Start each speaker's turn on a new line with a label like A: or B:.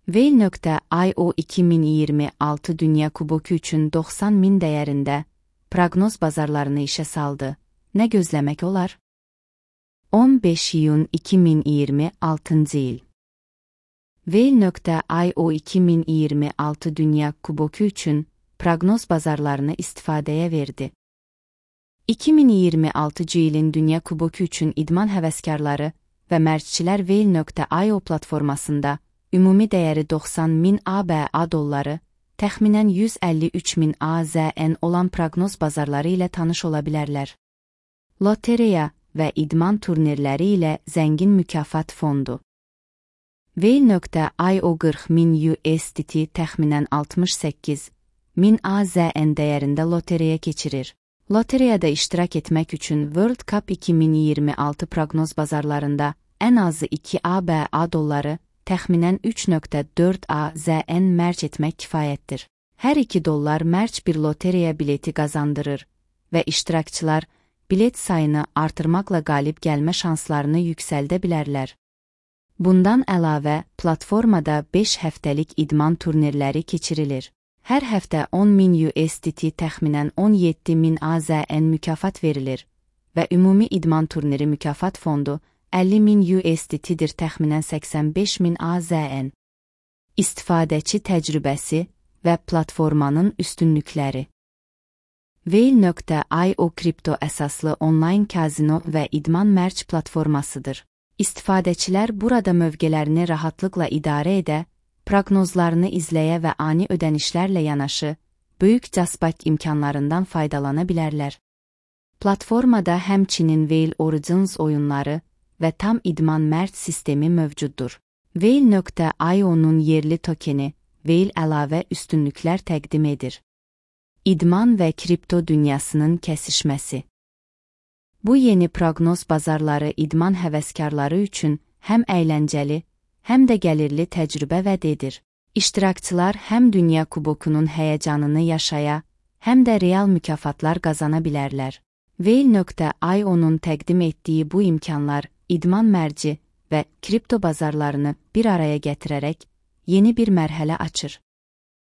A: Whale.io 2026 Dünya Kuboku üçün 90.000 dəyərində proqnoz bazarlarını işə saldı. Nə gözləmək olar? 15 iyun 2026 il. Whale.io 2026 Dünya Kuboku üçün proqnoz bazarlarını istifadəyə verdi. 2026 ilin Dünya Kuboku üçün idman həvəskarları və mərcçilər Whale.io platformasında ümumi dəyəri 90.000 ABA dolları, təxminən 153.000 AZN olan proqnoz bazarları ilə tanış ola bilərlər. Lotereya və idman turnirləri ilə zəngin mükafat fondu. Whale.io 40.000 USDT təxminən 68.000 AZN dəyərində lotereya keçirir. Lotereyada iştirak etmək üçün World Cup 2026 proqnoz bazarlarında ən azı 2 ABA dolları, təxminən 3.4 AZN mərc etmək kifayətdir. Hər 2 dollar mərc bir lotereya bileti qazandırır və iştirakçılar bilet sayını artırmaqla qalib gəlmə şanslarını yüksəldə bilərlər. Bundan əlavə, platformada 5 həftəlik idman turnirləri keçirilir. Hər həftə 10.000 USDT təxminən 17.000 AZN mükafat verilir və ümumi idman turniri mükafat fondu 50.000 USDT-dir təxminən 85.000 AZN. İstifadəçi təcrübəsi və platformanın üstünlükləri. Whale.io kripto əsaslı onlayn kazino və idman mərc platformasıdır. İstifadəçilər burada mövqələrini rahatlıqla idarə edə, proqnozlarını izləyə və ani ödənişlərlə yanaşı, böyük casbat imkanlarından faydalana bilərlər. Platformada həmçinin Whale Origins oyunları və tam idman mərc sistemi mövcuddur. Whale.io'nun yerli tokeni Whale əlavə üstünlüklər təqdim edir. İdman və kripto dünyasının kəsişməsi. Bu yeni proqnoz bazarları idman həvəskarları üçün həm əyləncəli, həm də gəlirli təcrübə vəd edir. İştirakçılar həm Dünya Kubokunun həyəcanını yaşaya, həm də real mükafatlar qazana bilərlər. Whale.io'nun təqdim etdiyi bu imkanlar idman mərci və kripto bazarlarını bir araya gətirərək yeni bir mərhələ açır.